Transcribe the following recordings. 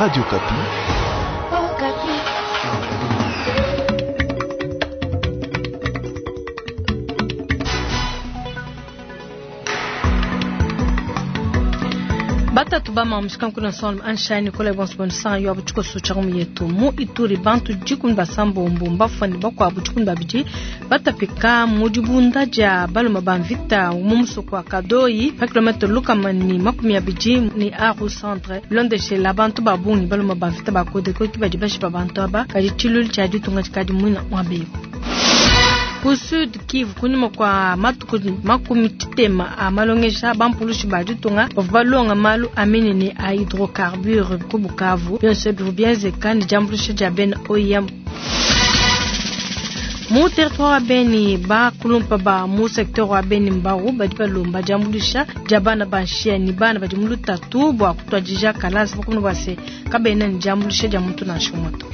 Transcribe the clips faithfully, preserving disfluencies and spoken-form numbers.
Radio Okapi. Batatu bama mushikanku na son anshani kola bonso bonso yo abuchiko sucha mu yetu mu Ituri bantu dikumi basambombo mbafani bakwabu dikumi babidi batapika mu dibunda dia baluma ba mvita mu musoko wa Kadoyi pa kilometre lukama ni makumi abidi ni Aru centre bilondeshela bantu ba bungi baluma ba mvita ba Codeco ki badi bashipa bantu aba kadi tshilulu tshia ditunga tshikadi muina muabeko. Ku Sud Kivu kunyuma kwa matuku makumi tshitema a malongesha bampulushi ba ditunga bavua balonga malu a minene a hydrocarbure ku Bukavu bionso bivua bienzeka ne diambuluisha dia bena O I M. Mu territoire wa Beni bakulumpa ba mu secteur wa Beni Mbau badi balomba diambuluisha dia bana ba nshia ni bana badi mu lutatu bua kutuadija kalasa bakumuna bua se kabena ne diambuluisha dia muntu nansha umue to.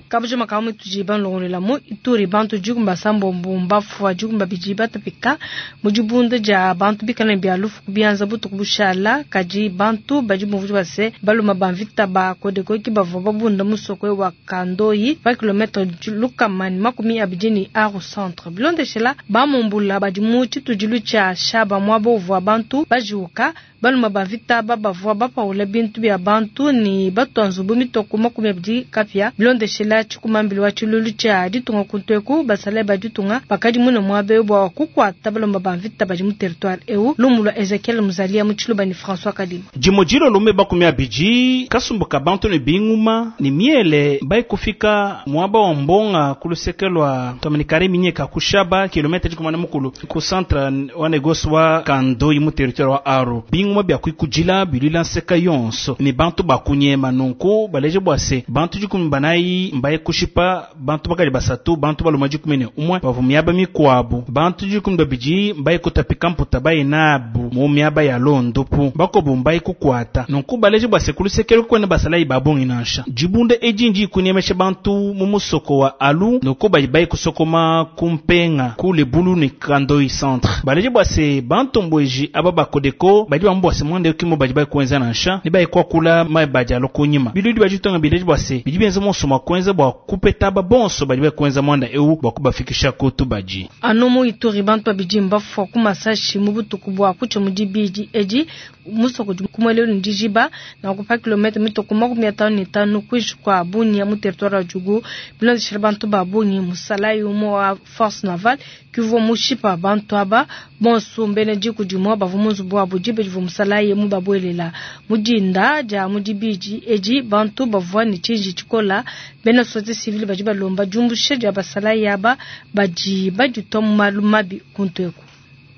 Kabujo makamu tuji banlongolela mu Ituri bantu dikumi basambombo mbafua dikumi babidi batapika mu dibunda dia bantu bikala bia lufu kubianza butuku bushala kadi bantu badi bumvua base baluma ba mvita ba Codeco ki bavua babunda musoko wa Kandoyi pa kilometre lukama ni makumi abidi ni Aru centre bilondeshela bamumbula badi mu tshitudilu tshia Shaba muaba uvua bantu bajuka baluma ba mvita babavua bapaula bintu bia bantu ni batua nzubu mitoko makumi abidi kapia bilondeshela tshikumambili wa tshilulu tshia ditunga kuntueku basale ba ditunga bakadi mune muabe bua kukuata balomba ba mvita badi mu territoire eu lumu lua Ezekiel Muzalia mu Tshiluba ni François Kadima. Dimo dilo lume bakumi abidi kasumbu ka bantu ne binguma ni miele bai kufika muaba wa mbonga ku luseke lua Dominicare minyeka kushaba kilometre dikumi na mukulu ku centre wa négoce wa Kandoyi mu territoire wa Aru binguma bia kuikudila bilwila nseka yonso ni bantu bakunyema nunku baleje bua se bantu dikumi banayi mbaye kushipa bantu bakali basatu bantu baluma dikumi ne umwe bavua miaba mikuabu bantu dikumi babidi mbaye kutapika mputa baye nabu mu miaba ya londopu bakobu mbaye kukwata nunku baleje bua se ku luseke kwene basalayi babongi nansha dibunda edi ndi kunyemesha bantu mu musoko wa Alu nunku badi baye kusokoma kumpenga ku Lebulu ni Kandoyi centre baleje bua se bantu mbweji aba ba Codeco badi bambu bua se mwande kimo badi baye kuenza nansha ne baye kuakula mai badi alo kunyima biludi badi tonga bileje bua se bidi benza monso mwa kuenza bua kupeta ba bonso badi baye kuenza mwanda eu bua kubafikisha kutu baji anu mu Ituri bantu babidi mbafua ku masashi mu butuku bua kutsha mu dibidi edi musoko di kumwelelu ndijiba na kupa kilometre mitoko makumi atanu ne tanu kuishi kwa Bunia mu territoire wa Djugu bilondeshela bantu ba bungi musalayi umue wa force navale kivua mushipa bantu aba bonso mbene diku dimue bavua mu nzubu wabu dibe divua musalayi mu babuelela mu dinda dia mu dibidi edi bantu bavua ne tshiji tshikola bena société civile badi balomba diumbusha dia basalayi aba badi baditua mu malu mabi kuntu eku.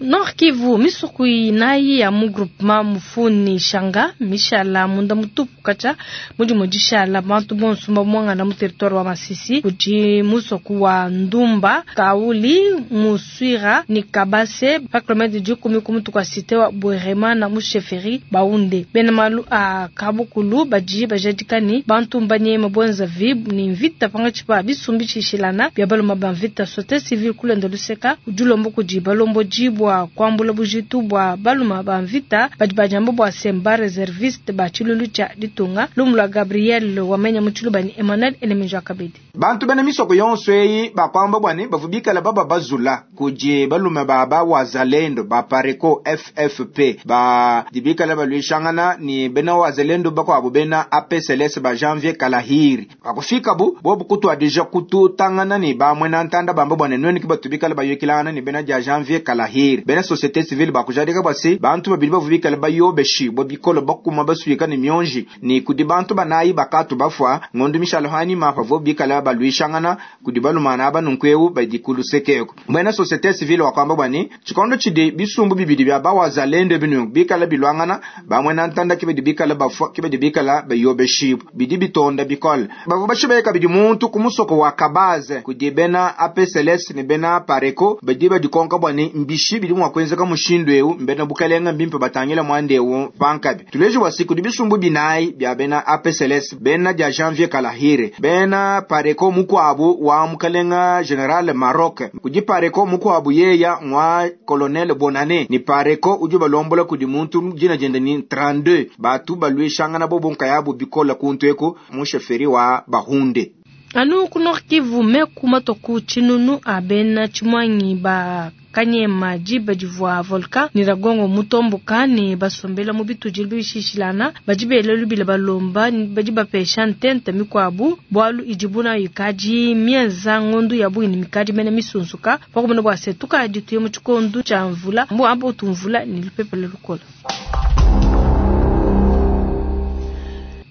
Nord Kivu misoko inayi ya mu groupement Mufuni Shanga mishala munda mutupu kacha mudi dishala bantu bonso mbamwangana mu territoire wa Masisi kudi musoko wa Ndumba Kauli Muswira ni Kabase pa kilometre dikumi ku mutu kwa cité wa Bwerema na mu chefferie Baunde bena malu a Kabukulu badi bajadikani bantu mbanyema bwenza vi ni mvita pangatshi pa bisumbi tshishilana bia baloma ba mvita société civile kulenda luseka udulombo kudi balombo bua kwambula bujitu bua baluma ba mvita badi bajamba bua semba reserviste ba tshilulu tshia ditunga lumu lua Gabriel wamenya mu Tshiluba ni Emmanuel Eleminjo Akabedi. Bantu bena misoko yonso eyi bakwamba bwani bavubikala baba bazula kudi balume baba wazalendo ba Pareco F F P ba dibikala balwishangana ni bena wazalendo bakwabo bena A P C L S ba Janvier Kalahiri akufika bu bobu kutwadija kututangana ni bamwe na ntanda bamba bwana nweni kibatubikala bayekilana ni bena dia Janvier Kalahiri bena société civile bakujadika bwasi bantu babili bavubikala bayobeshi bo bikolo bakuma baswika ni myonji ni kudi bantu banayi bakatu bafwa ngondo mishalo hani mapa vo bikala balwishangana kudi balumana aba nunkweu badi kulusekeko bena société civile wakwamba bwani tshikondo tshidi bisumbu bibidi bya bawazalendo binu bikala bilwangana bamwe na ntanda kibidi bikala bafwa kibidi bikala bayobeshi bidi bitonda bikole bavua bashibeka bidi muntu kumusoko wa Kabaze kudi bena A P C L S ni bena Pareco badi badikonka bwani mbishi bidi mwa kuenzeka mushindu eu mbena bukalenga mbimpe batangila mwande eu pankabi tuleje bwa siku dibisumbu binayi bya bena A P C L S bena dia Janvier Kalahire bena Pareko mukwabu wa mukalenga General Maroc kudi Pareko mukwabu yeya mwa Colonel Bonane ni Pareko udi balombola kudi muntu jina jenda ni trente-deux batu balwishangana bobo nkayabu bikola kuntu eko musheferi wa Bahunde. Anu ku Nord Kivu meku matoku chinunu abena chimwanyi ba kanyema jiba jivwa volka ni ragongo mutomboka ni basombela mu bitujili bishishilana bajibele lubila balomba bajiba pesha ntente mikwabu bwalu ijibuna yikaji mienza ngondu ya bwini mikaji mene misunsuka pakumena bwa setuka jituye mu chikondu cha mvula mbu ambo tumvula ni lupepele lukola.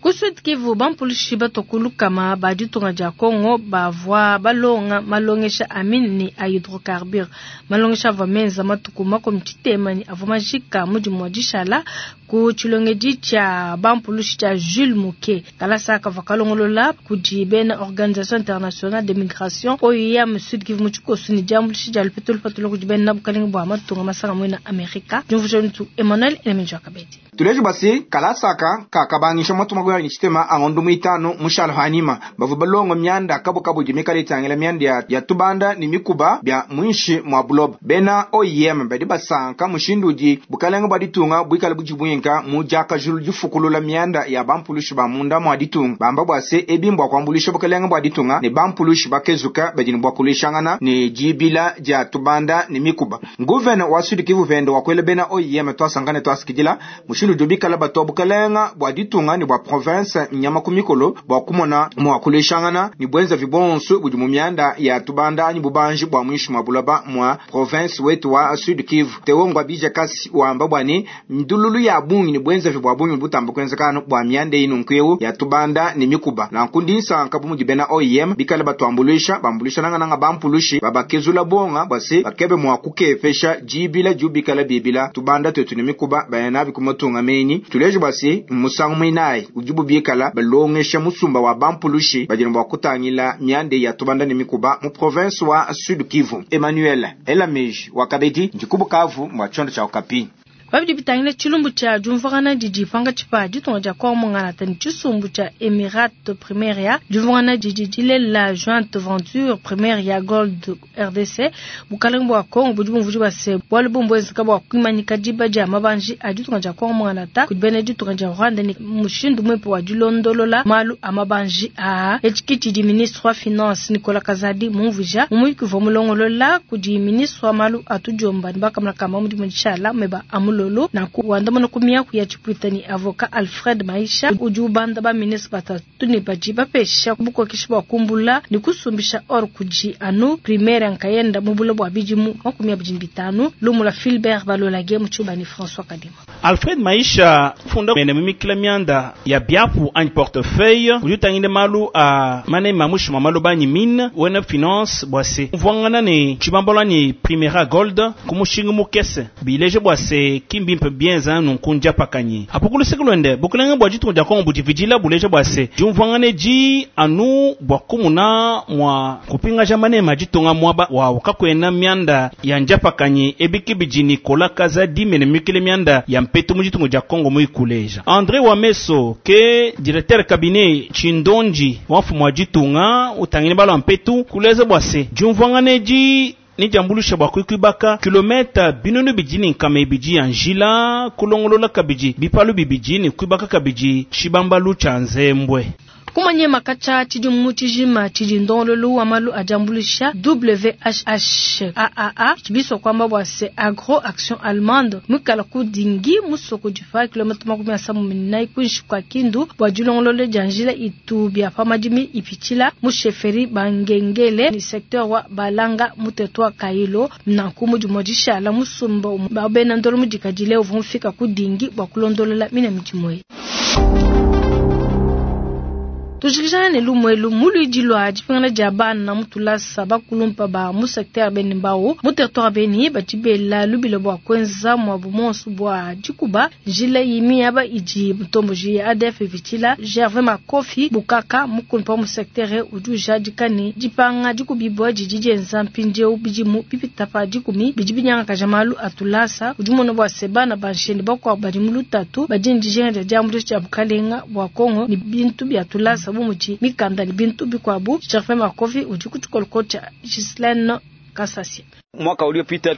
Ku Sud Kivu bampulushi batokulu kama ba ditunga dia Congo bavwa balonga malongesha amine ni a hydrocarbure malongesha avwa menza matuku makomi tshitema ni avwa majika mudimu wa dishala ku tshilongedi tshia bampulushi tshia Jules Muke kalasa kavwa kalongolola kudi bena Organisation Internationale de Migration O I M Sud Kivu mu tshikosu ni diambulushi dia lupetulu patulu kudi bena bukalenga bua matunga masanga mwena Amerika. Diumvuja ntu Emmanuel Elemenjo Kabedi. Tuleje basi kalasaka kakabangisha matuma goya ni chitema angondu muitano mushalo hanima bavu balongo myanda kabo kabo jimikali tangela myanda ya, ya tubanda ni mikuba bya mwinshi mwa blob bena O I M badi basanka mushinduji bukalenga bwa ditunga bwikala bujibwinka mujaka julu jifukulula myanda ya bampulushi ba munda mwa ditunga bamba bwase ebimbwa kwambulisha bukalenga bwa ditunga ni bampulushi bakezuka bajini bwa kulishangana ni jibila ja tubanda ni mikuba nguvena wa Sud Kivu vendo wakwele bena O I M twasangane twasikidila mushindu jubikala bato bukalenga bwa ditunga ni bwa province nyama kumikolo bwa kumona mwa kulishangana ni bwenza vibonso budi mu myanda ya tubanda ni bubanji bwa mwishi mwa bulaba mwa province wetu wa Sud Kivu tewongwa bija kasi wamba bwani ndululu ya bungi ni bwenza vibwa bungi butamba kwenzekano bwa myanda ino nkwewu ya tubanda ni mikuba na nkundi nsanka bumuji bena O I M bikala batwambulisha bambulisha nanga nanga bampulushi babakezula bonga bwase bakebe mwa kukepesha jibila jubikala bibila tubanda twetu ni mikuba bayana bikumatunga menyi tuleje bwase musangu mwinayi ujibu bikala balongesha musumba wa bampulushi bajina bwa kutangila myande ya tubanda ni mikuba mu province wa Sud Kivu. Emmanuel Elamej wa Kabedi njikubukavu mwa chondo cha Okapi. Babidi bitangile chilumbu cha jumvangana didi panga chipa ditonga dia kwa mongana tani chisumbu cha Emirat Primaria jumvangana didi dilela Jointe Venture Primaria Gold R D C bukalenga bwa Kongo budi bumvuji base bwalu bumbwezeka bwa kwimanyika diba dia mabanji a ditonga dia kwa mongana ta kudibene ditonga dia Rwanda ni mushindu mwepo wa dilondolola malu a mabanji a echikiti di ministre wa finance Nicolas Kazadi mumvuja mumuyiki mulongolola kudi ministre wa malu atujomba nibakamla kama mudi mudishala meba amul lolo na kuandamana kumia kuya chipwita ni avocat Alfred Maisha udi ubanda ba ministre batatu ne baji bapesha bukokesha bwa kumbula ni kusumbisha or kuji anu primaire nkayenda mubula bwa bijimu makumi abiri bitanu lumula Philbert Balolage muchuba ni François Kadima. Alfred Maisha funda mene mimikila mianda ya biapu anyi portefeuille udi malu a mane mamushi mamalu banyi mine wena finance bwase mvwangana ne chibambola ni Primera Gold kumushinga mukese bileje bwase kimbimpe bien za nunkunja pakanyi apukulu sekulwende bukulenge bwa jitu jakongo bujividila buleje bwase jumvwangane ji anu bwa kumuna mwa kupinga jamane majitunga mwaba wa ukakwena mianda ya njapakanyi ebiki bijini kola kaza dimene mikile mianda ya mpetu mujitungo ja Kongo muikuleja André Wameso ke directeur cabinet Chindonji wafu mwa jitunga utangine balo mpetu kuleze bwase jumvwangane ji ni jambulusha bwa kwikibaka kilomita binunu bijini nkame biji ya njila kulongolola kabiji bipalu bibiji ni kwibaka kabiji chibambalu cha nzembwe kumanye makacha chidimu chijima chidindololu wa malu ajambulisha W H H A A A chibiso kwamba bwase Agro Action Allemande mukala kudingi musoko jifa kilomita makumi asamu minai kunshi kwa Kindu bwa julongolole janjila itu bya pamadimi ipichila musheferi bangengele ni secteur wa Balanga mutetwa Kailo nanku mujimojisha la musumba babena ndolo mujikajile uvumfika kudingi bwa kulondolola mina mijimwe. Tujikijana ne lumwelu muluidi lwa dipingana dia bana mutulasa bakulumpa ba mu secteur beni mbao mu territoire beni batibela lubilo bwa kwenza mwabu monsu bwa dikuba njila yimi yaba idi mutomboji ya A D F vitila. Gervais Makofi Bukaka, mukulumpa mu secteur, udi ujadika ne dipanga dikubibwa didi dienza mpindieu bidimu bipita pa dikumi bidi binyangakaja malu atulasa. Udi mona bua se bana bansheni bakuabu badi mu lutatu badi ne dijinga dia diambuluisha dia bukalenga bua Kongo ne bintu bia tulasa bu mudi mikanda ne bintu bikuabu. Gervais Makofi udi ku tshikoloko tshia Gislaine Kasasia. Mwaka uliopita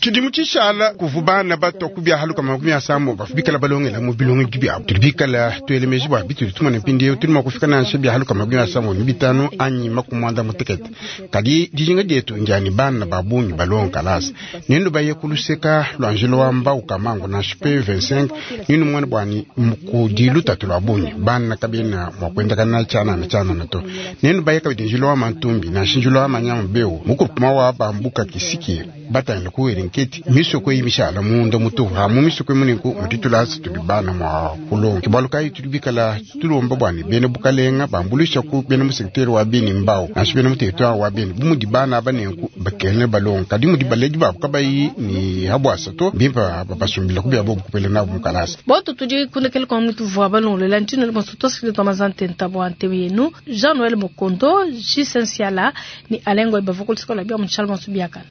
Tshidimu tshishala kuvu bana bato kubyahaluka makumi asambo bafu bikala balongela mu bilongo byabo. Tuli bikala twelemeji bwa bituli tumone mpindieu tuli mua kufika nansha byahaluka makumi asambo ni bitanu anyi makumi mutekete. Kadi dijinga dietu njani bana ba bungi balonga kalasa ninu baye kuluseka lwa njila wa mbau kamango nansha pe vingt-cinq ninu mwana bwani kudi lutatu lwa bungi bana kabena mua kuendakana tshianana tshianana to. Ninu baye kabidi njila wa mantumbi nansha njila wa manyama beu mukurupuma wa bambuka kisiki batangila kuwela nketi misoko eyi mishala munda mutuhu hamu misoko emuniku mutitulasa tuli bana mwa kulonga kibalu kayi tuli bikala tulomba bwani bene bukalenga bambulisha ku bene mu secteur wa beni mbao nansha bene mu territoire wa beni bumudi bana aba nenku bakene balonga kadi mudi baledi babu kabayi ni habwasa to bimpa babasumbila kubya bobu kupela nabo mukalasa. Boto tudi kundekele kwa mwitu vua balongolola ntino bonso tosikile twa mazante ntabo ante yenu Jean Noël Mokondo, Gisensiala ni Alengo bavokol sikola bia mutshala bonso biakana.